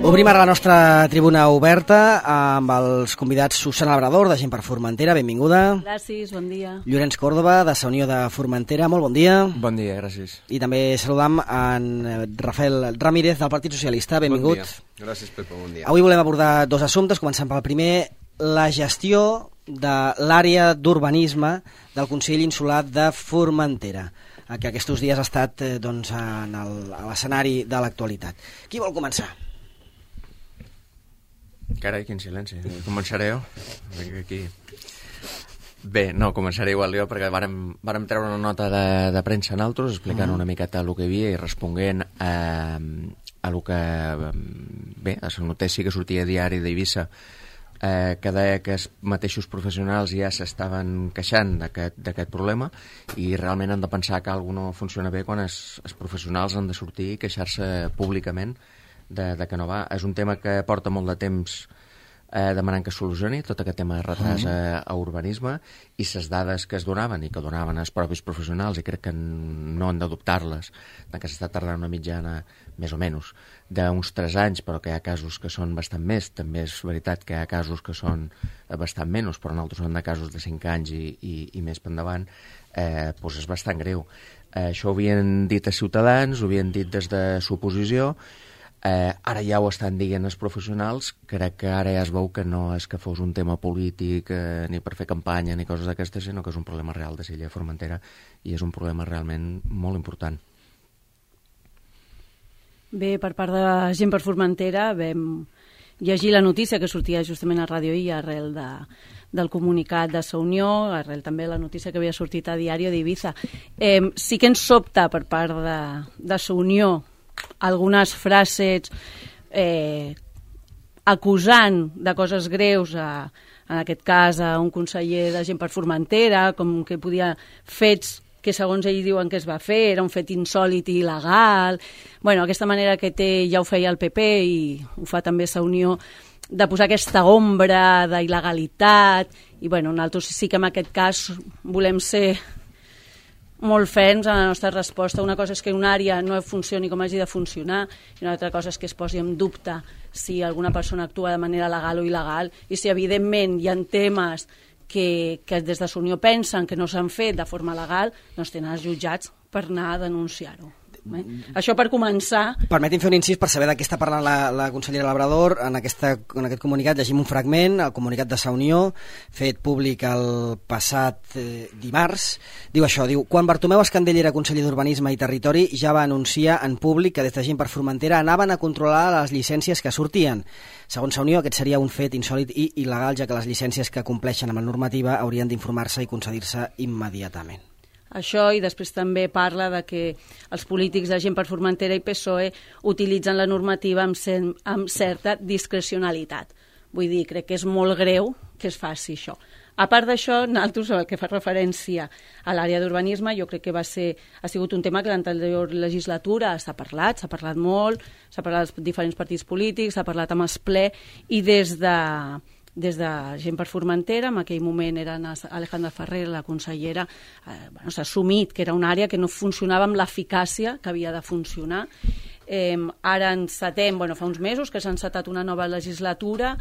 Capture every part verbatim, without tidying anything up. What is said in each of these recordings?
Obrim ara la nostra tribuna oberta amb els convidats Susana Labrador, de Gent per Formentera, benvinguda. Gràcies, bon dia. Llorenç Còrdova, de la Unió de Formentera, molt bon dia. Bon dia, gràcies. I també saludam en Rafael Ramírez, del Partit Socialista, benvingut. Bon dia. Gràcies, Pepa, bon dia. Avui volem abordar dos assumptes, començant pel primer, la gestió de l'àrea d'urbanisme del Consell Insular de Formentera, que aquests dies ha estat eh, doncs, en el, a l'escenari de l'actualitat. Qui vol començar? Carai, quin silenci. Començaré jo? Vinc aquí. Bé, no, començaré igual jo, perquè vàrem, vàrem treure una nota de, de premsa en altres, explicant mm. una miqueta el que hi havia i responent a, a lo que... Bé, a la notícia que sortia a diari d'Eivissa, eh, que deia que els mateixos professionals ja s'estaven queixant d'aquest problema i realment han de pensar que alguna no funciona bé quan els, els professionals han de sortir i queixar-se públicament de, de que no va. És un tema que porta molt de temps eh, demanant que es solucioni, tot aquest tema de retras a, a urbanisme, i les dades que es donaven i que donaven els propis professionals, i crec que no han d'adoptar-les, que s'està tardant una mitjana més o menys d'uns tres anys, però que hi ha casos que són bastant més. També és veritat que hi ha casos que són bastant menys, però en altres són de casos de cinc anys i, i, i més per endavant. Eh, doncs és bastant greu. Eh, això ho havien dit a Ciutadans, ho havien dit des de l'oposició, eh, ara ja ho estan dient els professionals. Crec que ara ja es veu que no és que fos un tema polític eh, ni per fer campanya ni coses d'aquestes, sinó que és un problema real de l'illa de Formentera i és un problema realment molt important. Bé, per part de Gent per Formentera vam llegir la notícia que sortia justament a Ràdio I arrel de, del comunicat de la Unió, arrel també la notícia que havia sortit a Diario d'Eivissa. Eh, sí que ens sobta per part de, de la Unió algunes frases eh, acusant de coses greus a, en aquest cas a un conseller de Gent per Formentera, com que podia fets que segons ell diuen que es va fer, era un fet insòlit i il·legal. Bueno, aquesta manera que té ja ho feia el P P i ho fa també la Unió, de posar aquesta ombra d'il·legalitat. I bueno, nosaltres sí que en aquest cas volem ser molt ferms en la nostra resposta. Una cosa és que una àrea no funcioni com hagi de funcionar i una altra cosa és que es posi en dubte si alguna persona actua de manera legal o il·legal i si evidentment hi ha temes que, que des de la Unió pensen que no s'han fet de forma legal, doncs tenen els jutjats per anar a denunciar-ho. Eh? Això per començar. Permeti'm fer un incís per saber de què està parlant la, la consellera Labrador. En, aquesta, en aquest comunicat llegim un fragment, el comunicat de la Unió, fet públic el passat eh, dimarts. Diu això, diu, quan Bartomeu Escandell era conseller d'Urbanisme i Territori ja va anunciar en públic que des de Gent per Formentera anaven a controlar les llicències que sortien. Segons la Unió, aquest seria un fet insòlit i il·legal, ja que les llicències que compleixen amb la normativa haurien d'informar-se i concedir-se immediatament. Això, i després també parla de que els polítics de Gent per Formentera i P S O E utilitzen la normativa amb, cer amb certa discrecionalitat. Vull dir, crec que és molt greu que es faci això. A part d'això, nosaltres, el que fa referència a l'àrea d'urbanisme, jo crec que va ser, ha sigut un tema que l'anterior legislatura s'ha parlat, s'ha parlat molt, s'ha parlat als diferents partits polítics, s'ha parlat amb el ple, i des de... des de Gent per Formentera, en aquell moment era Alejandra Ferrer, la consellera, eh, bueno, s'ha assumit que era una àrea que no funcionava amb l'eficàcia que havia de funcionar. Eh, ara encetem, bueno, fa uns mesos que s'ha encetat una nova legislatura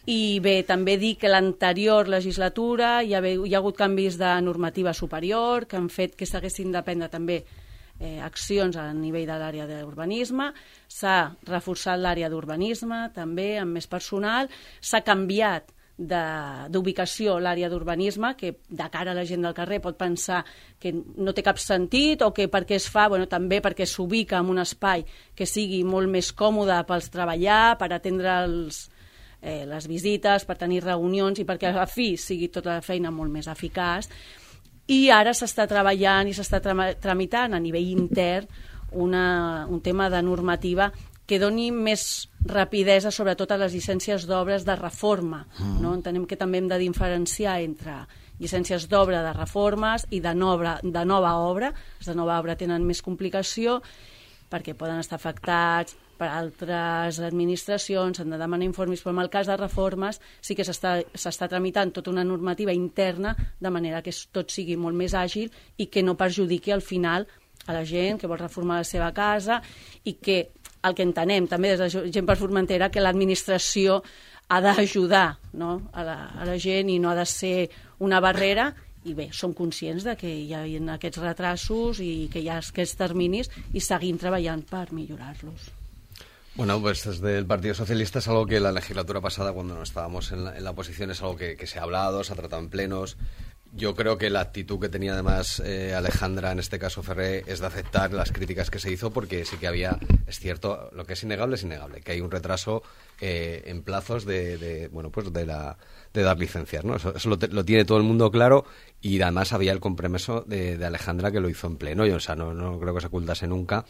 i bé, també dir que l'anterior legislatura hi ha, hi ha hagut canvis de normativa superior que han fet que s'haguessin de prendre també Eh, accions a nivell de l'àrea d'urbanisme, s'ha reforçat l'àrea d'urbanisme també amb més personal, s'ha canviat d'ubicació l'àrea d'urbanisme, que de cara a la gent del carrer pot pensar que no té cap sentit o que per què es fa, bueno, també perquè s'ubica en un espai que sigui molt més còmode pels treballar, per atendre els, eh, les visites, per tenir reunions i perquè a la fi sigui tota la feina molt més eficaç. I ara s'està treballant i s'està tramitant a nivell intern una, un tema de normativa que doni més rapidesa sobretot a les llicències d'obres de reforma. Mm. No? Entenem que també hem de diferenciar entre llicències d'obra de reformes i de nova, de nova obra. Les de nova obra tenen més complicació perquè poden estar afectats per altres administracions, han de demanar informes, però en el cas de reformes sí que s'està tramitant tota una normativa interna de manera que tot sigui molt més àgil i que no perjudiqui al final a la gent que vol reformar la seva casa i que el que entenem també des de Gent per Formentera, que l'administració ha d'ajudar, no? a, la, a la gent i no ha de ser una barrera, i bé, som conscients de que hi ha aquests retrasos i que hi ha aquests terminis i seguim treballant per millorar-los. Bueno, pues desde el Partido Socialista es algo que la legislatura pasada, cuando no estábamos en la, en la oposición, es algo que, que se ha hablado, se ha tratado en plenos. Yo creo que la actitud que tenía además eh, Alejandra, en este caso Ferré, es de aceptar las críticas que se hizo, porque sí que había, es cierto, lo que es innegable es innegable, que hay un retraso eh, en plazos de, de, bueno, pues de la de dar licencias, ¿no? Eso, eso lo, te, lo tiene todo el mundo claro, y además había el compromiso de, de Alejandra, que lo hizo en pleno, y o sea, no, no creo que se ocultase nunca.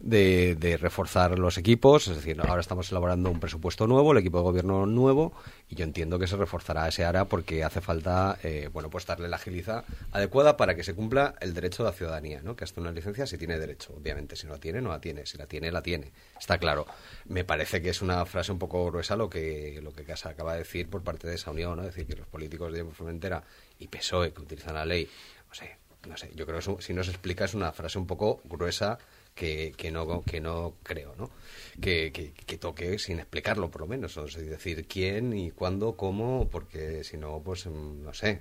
De, de reforzar los equipos, es decir, ahora estamos elaborando un presupuesto nuevo, el equipo de gobierno nuevo, y yo entiendo que se reforzará ese área porque hace falta, eh, bueno, pues darle la agilidad adecuada para que se cumpla el derecho de la ciudadanía, ¿no? Que hasta una licencia si tiene derecho, obviamente, si no la tiene, no la tiene, si la tiene, la tiene, está claro. Me parece que es una frase un poco gruesa lo que lo que se acaba de decir por parte de esa unión, ¿no? Es decir, que los políticos de Formentera y P S O E que utilizan la ley, no sé, no sé, yo creo que eso, si no se explica, es una frase un poco gruesa. Que, que no que no creo, ¿no? Que, que, que toque sin explicarlo, por lo menos, o sea, decir quién y cuándo, cómo, porque si no, pues no sé,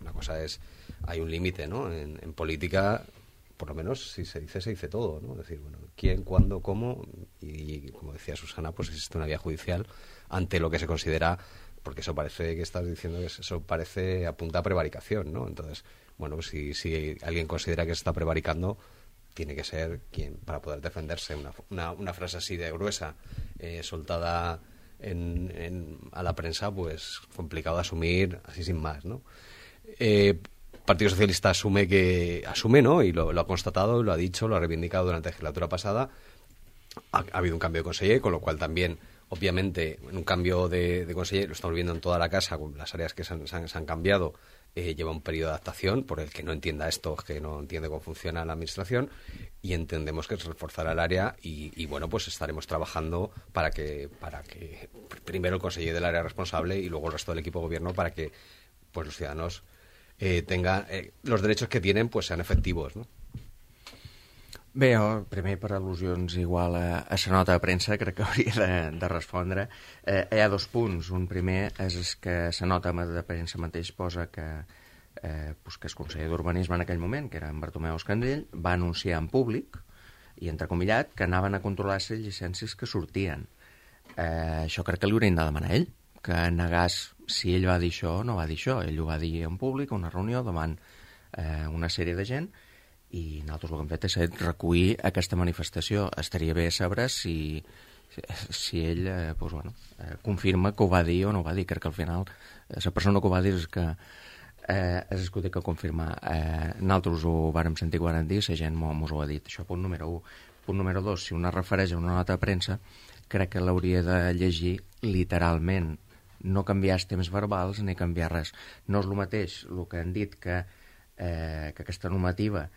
una cosa es, hay un límite, ¿no? En, en política, por lo menos, si se dice, se dice todo, ¿no? Es decir, bueno, quién, cuándo, cómo, y, y como decía Susana, pues existe una vía judicial ante lo que se considera, porque eso parece que estás diciendo que eso parece apunta a prevaricación, ¿no? Entonces, bueno, pues si, si alguien considera que se está prevaricando, tiene que ser quien, para poder defenderse. Una, una, una frase así de gruesa, eh, soltada en, en, a la prensa, pues complicado de asumir así sin más, ¿no? Eh, Partido Socialista asume que asume, ¿no? Y lo, lo ha constatado, lo ha dicho, lo ha reivindicado durante la legislatura pasada. Ha, ha habido un cambio de conseller, con lo cual también, obviamente, en un cambio de, de conseller, lo estamos viendo en toda la casa, con las áreas que se han, se han, se han cambiado. Eh, lleva un periodo de adaptación por el que no entienda esto, que no entiende cómo funciona la administración, y entendemos que se reforzará el área y, y bueno, pues estaremos trabajando para que para que primero el conseller del área responsable y luego el resto del equipo de gobierno, para que pues los ciudadanos eh, tengan eh, los derechos que tienen, pues sean efectivos, ¿no? Bé, jo, primer per al·lusions igual a, a la nota de premsa, crec que hauria de, de respondre. Eh, hi ha dos punts. Un primer és, és que la nota de premsa mateix posa que, eh, pues que el conseller d'Urbanisme en aquell moment, que era en Bartomeu Escandell, va anunciar en públic, i entrecomillat, que anaven a controlar les llicències que sortien. Eh, això crec que li haurien de demanar a ell, que negàs si ell va dir això o no va dir això. Ell ho va dir en públic, a una reunió, davant eh, una sèrie de gent, i nosaltres el que hem fet és recollir aquesta manifestació. Estaria bé saber si, si ell eh, pues, bueno, eh, confirma que ho va dir o no ho va dir. Crec que al final eh, la persona que ho va dir és que eh, és el que té que confirmar. Eh, nosaltres ho vàrem sentir quan vam dir, la gent mos ho ha dit. Això, punt número un. Punt número dos, si una refereix a una nota de premsa, crec que l'hauria de llegir literalment, no canviar els temps verbals ni canviar res. No és el mateix el que han dit que, eh, que aquesta normativa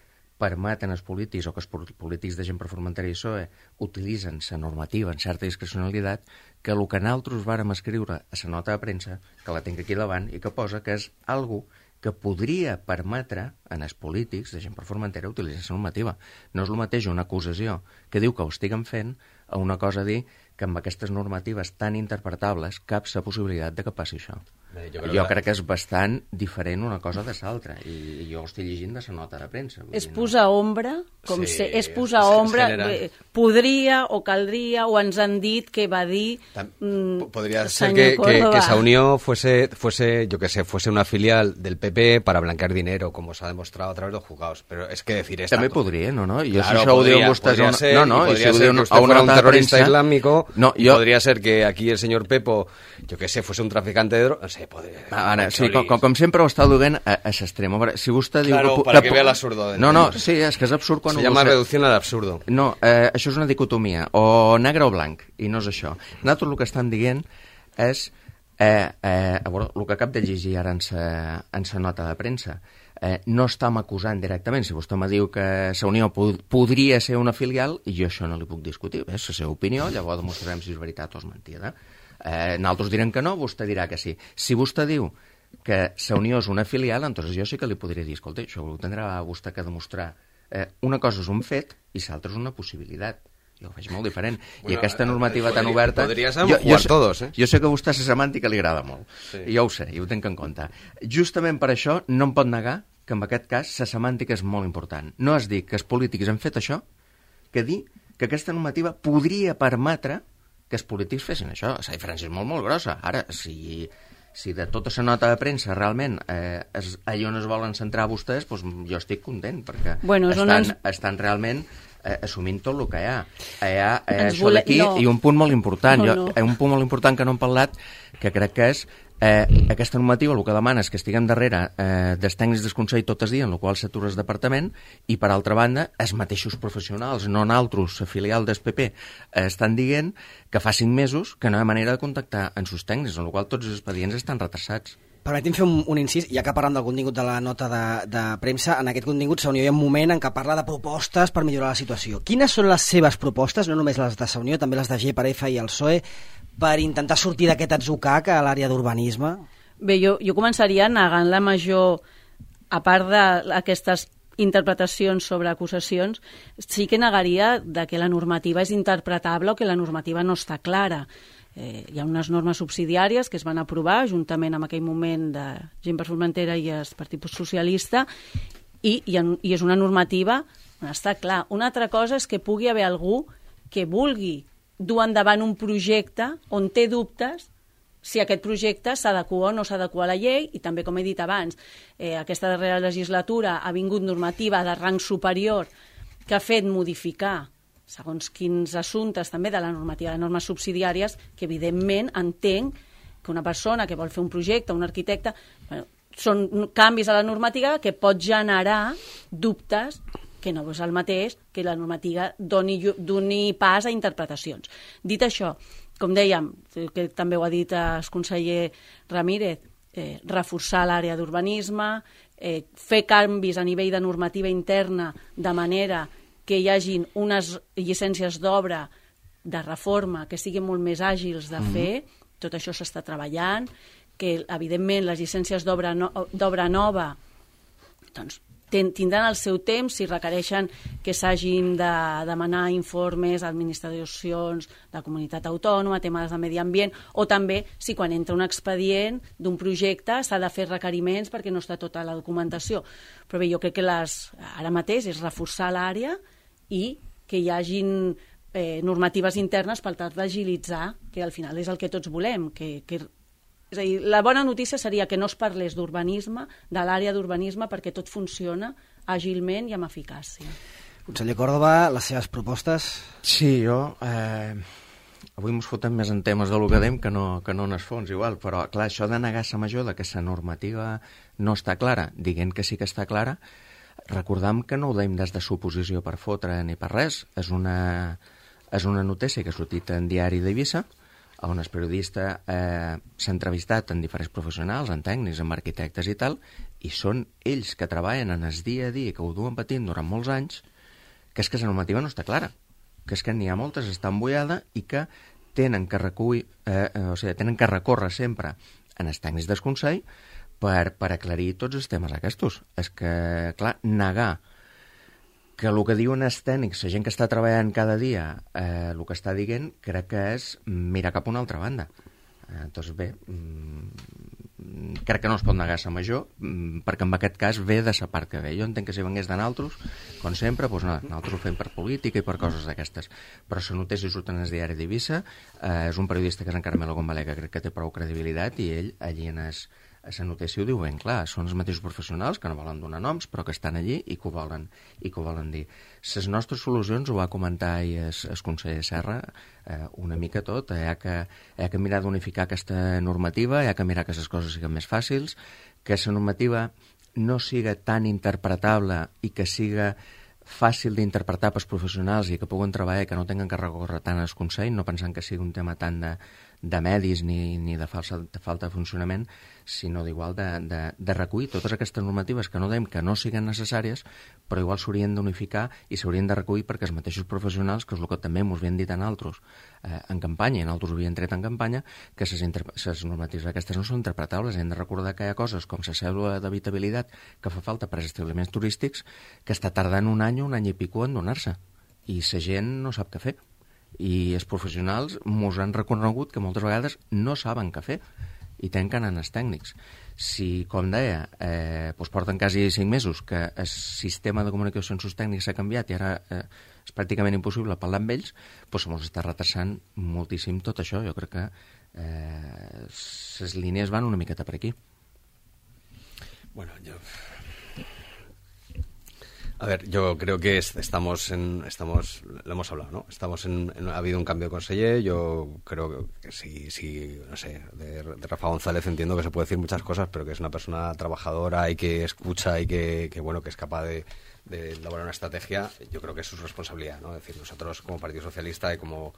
permeten als polítics o que els polítics de Gent per Formentera i P S O E utilitzen la normativa en certa discrecionalitat, que el que nosaltres vàrem escriure a la nota de premsa, que la tinc aquí davant, i que posa que és algo que podria permetre en els polítics de Gent per Formentera utilitzar la normativa. No és el mateix una acusació que diu que ho estiguen fent a una cosa dir que amb aquestes normatives tan interpretables cap la possibilitat de que passi això. Bé, jo, jo crec que és bastant diferent una cosa de l'altra, i jo ho estic llegint de la nota de premsa. És posar ombra, com sí, se, és posar ombra, bé, podria o caldria, o ens han dit que va dir mm, podría ser que, que, que esa unión fuese, fuese, yo que sé, fuese una filial del P P para blanquear dinero, como se ha demostrado a través de los juzgados, pero es que decir esta també cosa... podria, no, no? I claro, si això podría, ho diuen vostès podría ser, no, no, y podría i si ser ho que usted a una fuera un terrorista premsa, islámico, no, y jo... podría ser que aquí el señor Pepo, yo que sé, fuese un traficante de drogas, no sé, podría... Ara, sí, com, com sempre ho està duent a, a l'extrem. Si vostè diu... Claro, que, para que, que vea l'absurdo. No, no, sí, és que és absurd quan... Se ho llama dius. reducción al absurdo. No, eh, això és una dicotomia, o negre o blanc, i no és això. Nosaltres el que estan dient és, eh, eh, a veure, el que acab de llegir ara en sa, en sa nota de premsa, eh, no estem acusant directament. Si vostè me diu que la Unió pod podria ser una filial, i jo això no li puc discutir, és la seva opinió, llavors demostrarem si és veritat o és mentida. Eh, nosaltres direm que no, vostè dirà que sí. Si vostè diu que la Unió és una filial, entonces jo sí que li podria dir, escolta, això ho tindrà vostè que demostrar. Eh, una cosa és un fet i l'altra és una possibilitat. jo ho veig molt diferent. Bueno, I aquesta normativa podria, tan oberta... Podries jo, jugar jo, todos, eh? Jo sé que a vostè la semàntica li agrada molt. Sí. Jo ho sé, i ho tinc en compte. Justament per això no em pot negar que en aquest cas la semàntica és molt important. No és dir que els polítics han fet això, que dir que aquesta normativa podria permetre que els polítics fessin això. La diferència és molt, molt grossa. Ara, si... si de tota la nota de premsa realment eh, és, allà on es volen centrar vostès, doncs jo estic content, perquè bueno, estan, ens... estan realment eh, assumint tot el que hi ha. Hi ha eh, això vole... d'aquí no. i un punt molt important, no, jo, no. eh, un punt molt important que no hem parlat, que crec que és eh, aquesta normativa, el que demana és que estiguem darrere eh, dels tècnics del Consell tot el dia, en el qual s'atura el departament, i per altra banda, els mateixos professionals, no naltros, la filial del P P, eh, estan dient que fa cinc mesos que no hi ha manera de contactar amb els tècnics, en el qual tots els expedients estan retrasats. Permeti'm fer un, un incís, ja que parlem del contingut de la nota de, de premsa, en aquest contingut Saunió hi ha un moment en què parla de propostes per millorar la situació. Quines són les seves propostes, no només les de Saunió, també les de G per F i el P S O E, per intentar sortir d'aquest atzucac a l'àrea d'urbanisme? Bé, jo, jo començaria negant la major, a part d'aquestes interpretacions sobre acusacions, sí que negaria de que la normativa és interpretable o que la normativa no està clara. Eh, hi ha unes normes subsidiàries que es van aprovar juntament amb aquell moment de Gent per Formentera i el Partit Socialista i, i, en, i és una normativa on està clar. Una altra cosa és que pugui haver algú que vulgui dur endavant un projecte on té dubtes si aquest projecte s'adequa o no s'adequa a la llei, i també, com he dit abans, eh, aquesta darrera legislatura ha vingut normativa de rang superior que ha fet modificar segons quins assumptes també de la normativa de normes subsidiàries, que evidentment entenc que una persona que vol fer un projecte, un arquitecte, bueno, són canvis a la normativa que pot generar dubtes que no és el mateix que la normativa doni, doni pas a interpretacions. Dit això, com dèiem, que també ho ha dit el conseller Ramírez, eh, reforçar l'àrea d'urbanisme, eh, fer canvis a nivell de normativa interna de manera que hi hagin unes llicències d'obra de reforma que siguin molt més àgils de fer, mm-hmm. Tot això s'està treballant, que evidentment les llicències d'obra no, d'obra nova doncs, ten, tindran el seu temps si requereixen que s'hagin de demanar informes a administracions de comunitat autònoma, temes de medi ambient, o també si quan entra un expedient d'un projecte s'ha de fer requeriments perquè no està tota la documentació. Però bé, jo crec que les, ara mateix és reforçar l'àrea i que hi hagin eh, normatives internes per tal d'agilitzar, que al final és el que tots volem. Que, que, és a dir, la bona notícia seria que no es parlés d'urbanisme, de l'àrea d'urbanisme, perquè tot funciona àgilment i amb eficàcia. Conseller Córdoba, les seves propostes? Sí, jo... Eh, avui ens fotem més en temes de lo que dèiem que no, que no en els fons, igual, però clar, això de negar la major de que la normativa no està clara, dient que sí que està clara, recordam que no ho deim des de suposició per fotre ni per res. És una, és una notícia que ha sortit en Diari d'Eivissa, on el periodista eh, s'ha entrevistat amb diferents professionals, amb tècnics, amb arquitectes i tal, i són ells que treballen en el dia a dia, que ho duen patint durant molts anys, que és que la normativa no està clara, que és que n'hi ha moltes, està embullada i que tenen que, recull, eh, eh, o sigui, tenen que recórrer sempre en els tècnics del Consell per, per aclarir tots els temes aquests. És que, clar, negar que el que diuen els tècnics, la gent que està treballant cada dia, eh, el que està dient, crec que és mirar cap a una altra banda. Eh, doncs bé, mm, crec que no es pot negar la major, mm, perquè en aquest cas ve de la part que ve. Jo entenc que si vengués de naltros, com sempre, doncs no, nosaltres ho fem per política i per coses d'aquestes. Però la notícia surt en el Diari d'Eivissa, eh, és un periodista que és en Carmelo Gonbalé, que crec que té prou credibilitat, i ell allí en es a la notícia ho diu ben clar, són els mateixos professionals que no volen donar noms però que estan allí i que ho volen, i que ho volen dir. Les nostres solucions, ho va comentar ahir el, el conseller Serra, eh, una mica tot, hi ha que, hi ha que mirar d'unificar aquesta normativa, hi ha que mirar que les coses siguin més fàcils, que la normativa no siga tan interpretable i que siga fàcil d'interpretar pels professionals i que puguen treballar i que no tinguin que recórrer tant al Consell, no pensant que sigui un tema tant de, de medis ni, ni de, falsa, de falta de funcionament, sinó d'igual de, de, de recollir totes aquestes normatives que no dèiem que no siguin necessàries, però igual s'haurien d'unificar i s'haurien de recollir perquè els mateixos professionals, que és el que també ens havien dit a nosaltres eh, en campanya, i nosaltres ho havien tret en campanya, que les normatives aquestes no són interpretables. Hem de recordar que hi ha coses com la cèdula d'habitabilitat que fa falta per als establiments turístics que està tardant un any, un any i pico en donar-se, i la gent no sap què fer. i els professionals mos han reconegut que moltes vegades no saben què fer i tenen que anar als tècnics. Si, com deia, eh, doncs porten quasi cinc mesos que el sistema de comunicació amb els tècnics s'ha canviat i ara eh, és pràcticament impossible parlar amb ells, doncs ens està retrasant moltíssim tot això. Jo crec que eh, les línies van una miqueta per aquí. Bueno, yo... A ver, yo creo que estamos en, estamos, lo hemos hablado, ¿no? Estamos en, en ha habido un cambio de conseller. Yo creo que sí, sí, no sé, de, de Rafa González entiendo que se puede decir muchas cosas, pero que es una persona trabajadora y que escucha y que, que bueno, que es capaz de, de elaborar una estrategia. Yo creo que es su responsabilidad, ¿no? Es decir, nosotros como Partido Socialista y como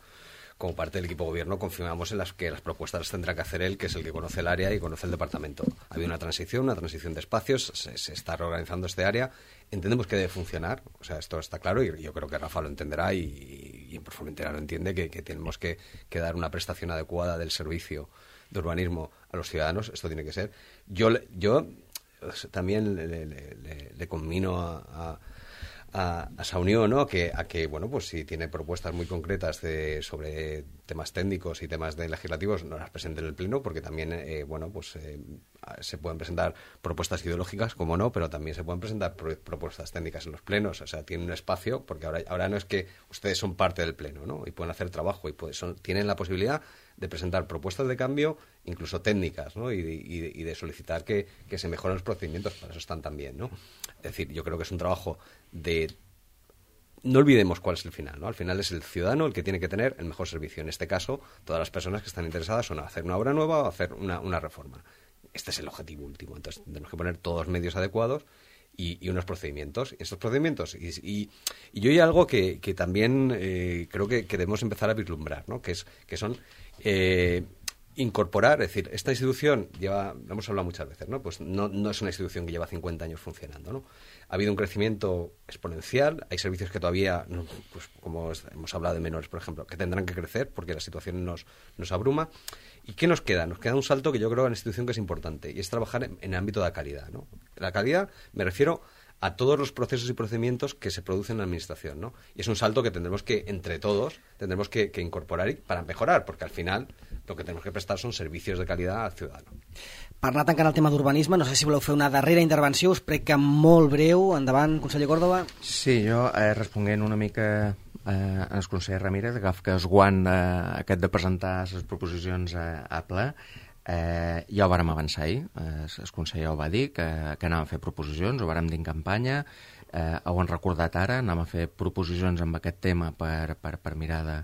como parte del equipo de gobierno confiamos en las que las propuestas las tendrá que hacer él, que es el que conoce el área y conoce el departamento. Ha habido una transición, una transición de espacios, se, se está reorganizando este área, entendemos que debe funcionar, o sea, esto está claro y yo creo que Rafa lo entenderá y, y en Formentera lo entiende, que, que tenemos que, que dar una prestación adecuada del servicio de urbanismo a los ciudadanos, esto tiene que ser. Yo, yo también le, le, le, le conmino a... a a, a esa unión, ¿no? Que, a que, bueno, pues si tiene propuestas muy concretas de, sobre temas técnicos y temas de legislativos, no las presente en el Pleno, porque también, eh, bueno, pues eh, se pueden presentar propuestas ideológicas, como no, pero también se pueden presentar pro, propuestas técnicas en los plenos, o sea, tienen un espacio, porque ahora, ahora no es que ustedes son parte del Pleno, ¿no? Y pueden hacer trabajo y pueden, son, tienen la posibilidad de presentar propuestas de cambio, incluso técnicas, ¿no? Y, y, y de solicitar que, que se mejoren los procedimientos, para eso están también, ¿no? Es decir, yo creo que es un trabajo de... No olvidemos cuál es el final, ¿no? Al final es el ciudadano el que tiene que tener el mejor servicio. En este caso, todas las personas que están interesadas son hacer una obra nueva o hacer una, una reforma. Este es el objetivo último. Entonces, tenemos que poner todos los medios adecuados y, y unos procedimientos. Y estos procedimientos... Y, y, y yo hay algo que, que también eh, creo que, que debemos empezar a vislumbrar, ¿no? Que, es, que son... Eh, incorporar, es decir, esta institución lleva, lo hemos hablado muchas veces, ¿no? Pues no, no es una institución que lleva cincuenta años funcionando, ¿no? Ha habido un crecimiento exponencial, hay servicios que todavía, pues como hemos hablado de menores, por ejemplo, que tendrán que crecer porque la situación nos, nos abruma. ¿Y qué nos queda? Nos queda un salto que yo creo en la institución que es importante, y es trabajar en, en el ámbito de la calidad, ¿no? La calidad, me refiero a todos los procesos y procedimientos que se producen en la administración, ¿no? Y es un salto que tendremos que, entre todos, tendremos que, que incorporar y, para mejorar, porque al final lo que tenemos que prestar son servicios de calidad al ciudadano. Per anar tancant el tema d'urbanisme, no sé si voleu fer una darrera intervenció, us prec que molt breu. Endavant, conseller Córdoba. Sí, jo eh, responent una mica eh, al conseller Ramírez, agaf que es guant eh, aquest de presentar les proposicions a, a ple. Eh, ja ho vàrem avançar ahir, eh, el conseller ho va dir, que, que anàvem a fer proposicions, ho vàrem dir en campanya, eh, ho han recordat ara, anàvem a fer proposicions amb aquest tema per, per, per mirar de,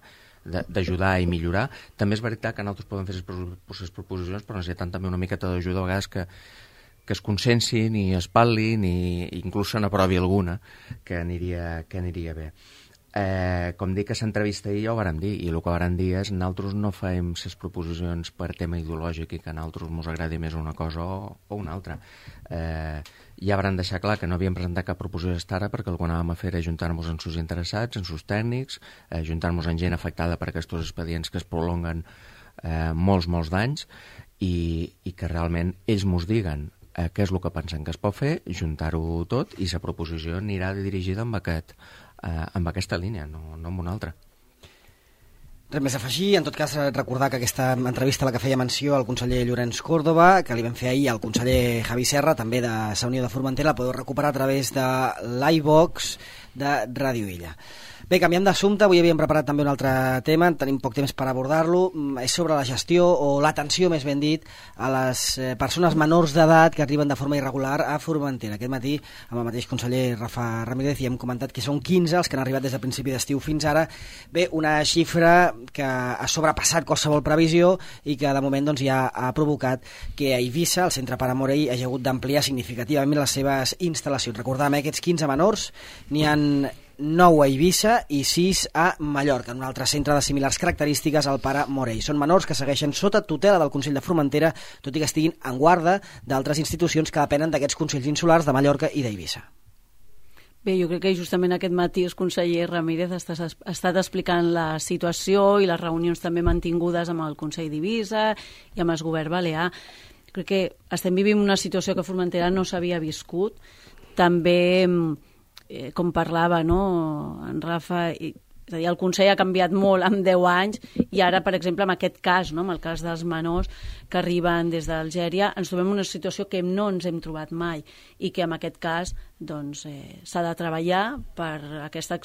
d'ajudar i millorar. També és veritat que nosaltres podem fer les proposicions, però necessitem també una miqueta d'ajuda a vegades que, que es consensin i es parlin i inclús se n'aprovi alguna que aniria, que aniria bé. Eh, com dic que s'entrevista ahir ja ho vàrem dir, i el que vàrem dir és nosaltres no fem les proposicions per tema ideològic i que a nosaltres ens agradi més una cosa o, o una altra. Eh, ja vàrem deixar clar que no havíem presentat cap proposició fins ara perquè el que anàvem a fer era ajuntar-nos amb els interessats, amb els tècnics, eh, ajuntar-nos amb gent afectada per aquests expedients que es prolonguen eh, molts, molts d'anys i, i que realment ells ens diguen eh, què és el que pensen que es pot fer, juntar-ho tot i la proposició anirà dirigida amb aquest Eh, amb aquesta línia, no, no amb una altra. Res més a afegir, en tot cas recordar que aquesta entrevista a la que feia menció el conseller Llorenç Córdoba, que li vam fer ahir al conseller Javi Serra, també de la Unió de Formentera, la podeu recuperar a través de l'iVox de Ràdio Illa. Bé, canviant d'assumpte, avui havíem preparat també un altre tema, tenim poc temps per abordar-lo, és sobre la gestió o l'atenció, més ben dit, a les persones menors d'edat que arriben de forma irregular a Formentera. Aquest matí, amb el mateix conseller Rafa Ramírez, hi hem comentat que són quinze els que han arribat des de principi d'estiu fins ara. Bé, una xifra que ha sobrepassat qualsevol previsió i que de moment doncs, ja ha provocat que a Eivissa, el centre Pare Morell, hagi hagut d'ampliar significativament les seves instal·lacions. Recordàvem, eh, aquests quinze menors, n'hi han nou a Eivissa i sis a Mallorca, en un altre centre de similars característiques al Pare Morell. Són menors que segueixen sota tutela del Consell de Formentera, tot i que estiguin en guarda d'altres institucions que depenen d'aquests consells insulars de Mallorca i d'Eivissa. Bé, jo crec que justament aquest matí el conseller Ramírez ha estat explicant la situació i les reunions també mantingudes amb el Consell d'Eivissa i amb el govern balear. Crec que estem vivint una situació que Formentera no s'havia viscut. També, com parlava, no, en Rafa, És a dir, el Consell ha canviat molt en deu anys i ara, per exemple, en aquest cas, no? En el cas dels menors que arriben des d'Algèria, ens trobem en una situació que no ens hem trobat mai i que en aquest cas doncs, eh, s'ha de treballar per aquesta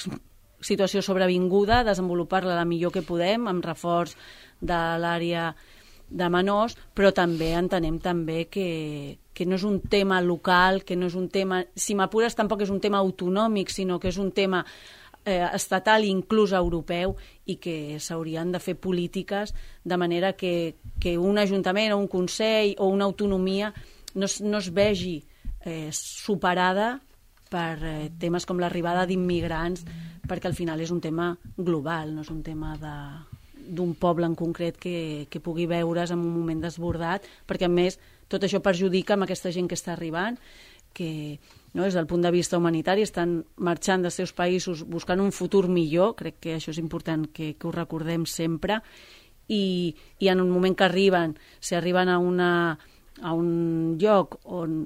situació sobrevinguda, desenvolupar-la la millor que podem, amb reforç de l'àrea de menors, però també entenem també que, que no és un tema local, que no és un tema, si m'apures tampoc és un tema autonòmic, sinó que és un tema eh, estatal i inclús europeu i que s'haurien de fer polítiques de manera que, que un ajuntament o un consell o una autonomia no es, no es vegi eh, superada per eh, temes com l'arribada d'immigrants, perquè al final és un tema global, no és un tema de d'un poble en concret que, que pugui veure's en un moment desbordat, perquè a més tot això perjudica amb aquesta gent que està arribant, que no, des del punt de vista humanitari estan marxant dels seus països buscant un futur millor, crec que això és important que, que ho recordem sempre, i, i en un moment que arriben, si arriben a, una, a un lloc on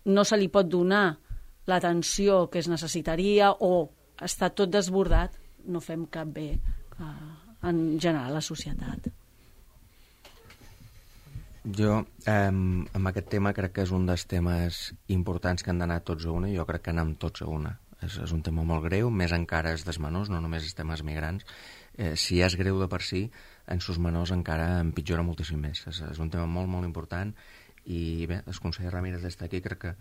no se li pot donar l'atenció que es necessitaria o està tot desbordat, no fem cap bé a, en general la societat. Jo, eh, amb aquest tema crec que és un dels temes importants que han d'anar tots a una, i jo crec que anem tots a una. És, és un tema molt greu, més encara és dels menors, no només els temes migrants. Eh, si és greu de per si, en sus menors encara empitjora moltíssim més. És, és un tema molt, molt important, i bé, el conseller Ramírez està aquí, crec que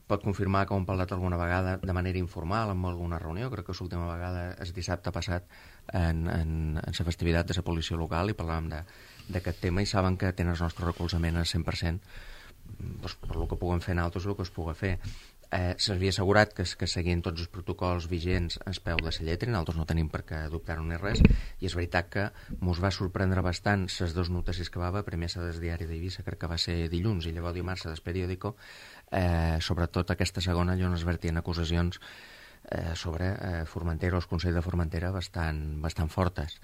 pot confirmar que ho hem parlat alguna vegada de manera informal, en alguna reunió. Crec que l'última vegada és dissabte passat en, en, en la festivitat de la policia local i parlàvem d'aquest tema, i saben que tenen el nostre recolzament al cent per cent doncs, per el que puguem fer nosaltres, el que es pugui fer. Eh, S'havia assegurat que, que seguint tots els protocols vigents es peu de la lletra, i nosaltres no tenim per què adoptar-ho ni res, i és veritat que mos va sorprendre bastant les dues notícies que va haver, primer la del diari d'Eivissa, crec que va ser dilluns, i llavors dimarts del periòdico, eh, sobretot aquesta segona, on es vertien acusacions eh, sobre eh, Formentera o el Consell de Formentera bastant, bastant fortes.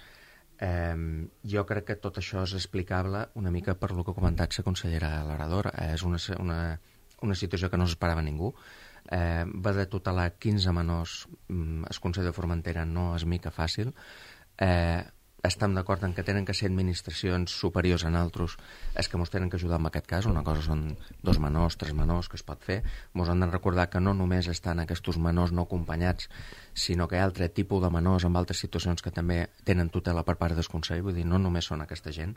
Eh, jo crec que tot això és explicable una mica per lo que ha comentat la consellera Larador. Eh, és una, una, una situació que no s'esperava ningú. Eh, va de tutelar quinze menors, el Consell de Formentera no és mica fàcil. Eh, estem d'acord en que tenen que ser administracions superiors a altres, és que ens tenen que ajudar en aquest cas. Una cosa són dos menors, tres menors, que es pot fer. Ens han de recordar que no només estan aquests menors no acompanyats, sinó que hi ha altre tipus de menors amb altres situacions que també tenen tutela per part del Consell, vull dir, no només són aquesta gent.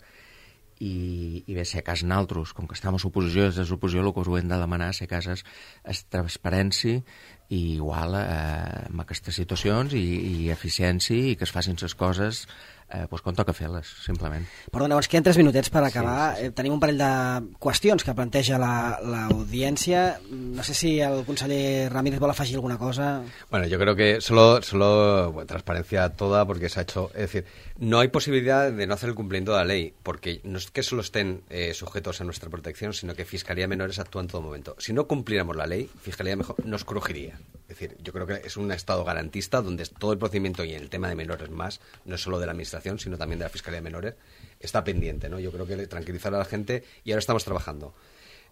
I, i bé, si a cas naltros, com que estem a l'oposició, des de l'oposició el que us ho hem de demanar, si a cas és, és transparència i igual eh, amb aquestes situacions i, i eficiència, i que es facin les coses eh, doncs quan toca fer-les, simplement. Perdona, ens queden tres minutets per acabar. Sí, sí, sí. Eh, tenim un parell de qüestions que planteja l'audiència. La, no sé si el conseller Ramírez vol afegir alguna cosa. Bueno, yo creo que solo, solo bueno, transparencia toda, porque se ha hecho... Es decir, no hay posibilidad de no hacer el cumplimiento de la ley, porque no es que solo estén eh, sujetos a nuestra protección, sino que Fiscalía de Menores actúa en todo momento. Si no cumpliéramos la ley, Fiscalía de Menores nos crujiría. Es decir, yo creo que es un Estado garantista donde todo el procedimiento y el tema de menores más, no es solo de la Administración, sino también de la Fiscalía de Menores, está pendiente, ¿no? Yo creo que tranquilizar a la gente, y ahora estamos trabajando.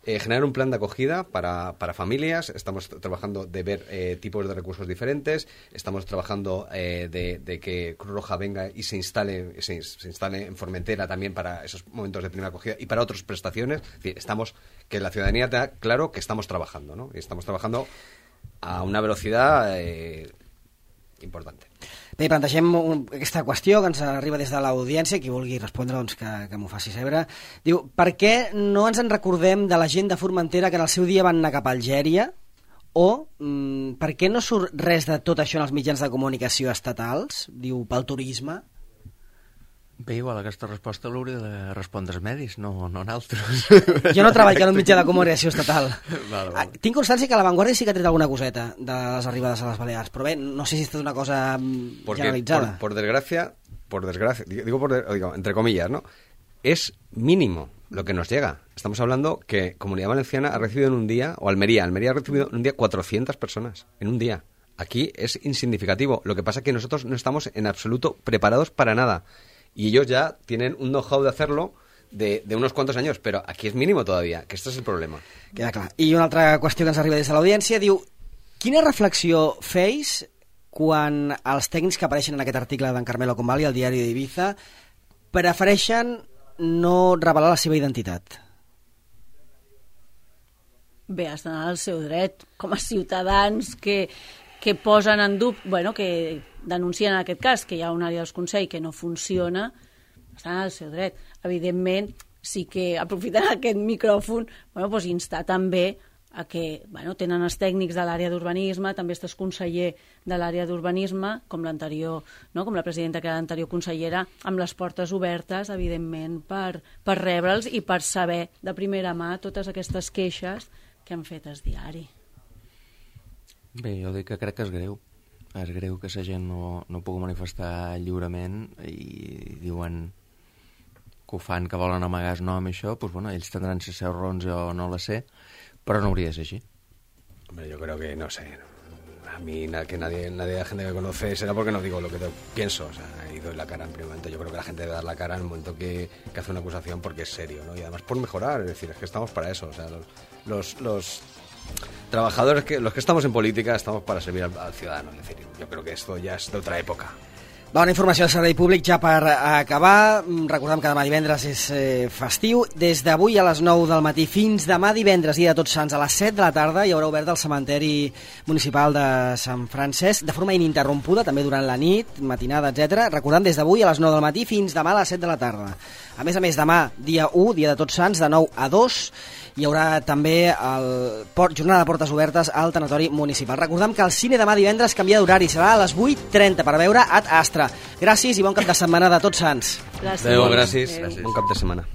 Eh, generar un plan de acogida para, para familias, estamos trabajando de ver eh, tipos de recursos diferentes, estamos trabajando eh, de, de que Cruz Roja venga y se instale, se, se instale en Formentera también para esos momentos de primera acogida y para otras prestaciones. Es decir, estamos, que la ciudadanía tenga claro que estamos trabajando, ¿no? Y estamos trabajando a una velocidad eh, importante. Bé, plantegem un, aquesta qüestió que ens arriba des de l'audiència, qui vulgui respondre doncs, que, que m'ho faci saber. Diu, per què no ens en recordem de la gent de Formentera que en el seu dia van anar cap a Algèria? O mm, per què no surt res de tot això en els mitjans de comunicació estatals? Diu, pel turisme? Bé, igual aquesta resposta l'hauria de respondre els medis, no, no nosaltres. Jo no treballo en un mitjà de comunicació estatal. Vale, vale. Tinc constància que La Vanguardia sí que ha tret alguna coseta de les arribades a les Balears, però bé, no sé si és una cosa Porque, generalitzada. Por, por desgracia, por desgracia, digo, por, digo entre comillas, ¿no? Es mínimo lo que nos llega. Estamos hablando que Comunidad Valenciana ha recibido en un día, o Almería, Almería ha recibido en un día cuatrocientas personas, en un día. Aquí es insignificativo. Lo que pasa es que nosotros no estamos en absoluto preparados para nada. Y ellos ya tienen un know-how de hacerlo de, de unos cuantos años, però aquí és mínimo todavía, que este és el problema. Queda clar. I una altra qüestió que ens arriba des de l'audiència diu, quina reflexió feis quan els tècnics que apareixen en aquest article d'en Carmelo Convalli al diari d'Ibiza prefereixen no revelar la seva identitat? Bé, estan al seu dret, com a ciutadans que, que posen en dubte, bueno, que denuncien en aquest cas que hi ha una àrea dels Consells que no funciona, estan al seu dret. Evidentment, sí que aprofitant aquest micròfon, bueno, doncs instar també a que bueno, tenen els tècnics de l'àrea d'urbanisme, també estàs conseller de l'àrea d'urbanisme, com l'anterior, no? com la presidenta que era l'anterior consellera, amb les portes obertes, evidentment, per, per rebre'ls i per saber de primera mà totes aquestes queixes que han fet el diari. Bé, jo dic que crec que és greu. És greu que la gent no, no pugui manifestar lliurement i diuen que ho fan, que volen amagar el nom i això, doncs, bueno, ells tindran les seus raons, jo no la sé, pero no hauria de ser así. Hombre, yo creo que, no sé, a mí que nadie, nadie de la gente que conoce será porque no digo lo que pienso, o sea, y doy la cara en primer momento. Yo creo que la gente debe dar la cara en el momento que, que hace una acusación porque es serio, ¿no? Y además por mejorar, es decir, es que estamos para eso, o sea, los, los, los trabajadores, que los que estamos en política, estamos para servir al, al ciudadano, es decir, yo creo que esto ya es de otra época. Bona informació del servei públic ja per acabar. Recordem que demà divendres és eh, festiu. Des d'avui a les nou del matí fins demà divendres, dia de Tots Sants, a les set de la tarda, hi haurà obert el cementeri municipal de Sant Francesc de forma ininterrompuda, també durant la nit, matinada, etcètera. Recordem, des d'avui a les nou del matí fins demà a les set de la tarda. A més a més, demà, dia u, dia de Tots Sants, de nou a dos, hi haurà també el port, jornada de portes obertes al tanatori municipal. Recordem que el cine demà divendres canvia d'horari, serà a les vuit trenta per veure Ad Astra. Gràcies i bon cap de setmana de Tots Sants. Gràcies. Adéu, gràcies. Adéu. Bon cap de setmana.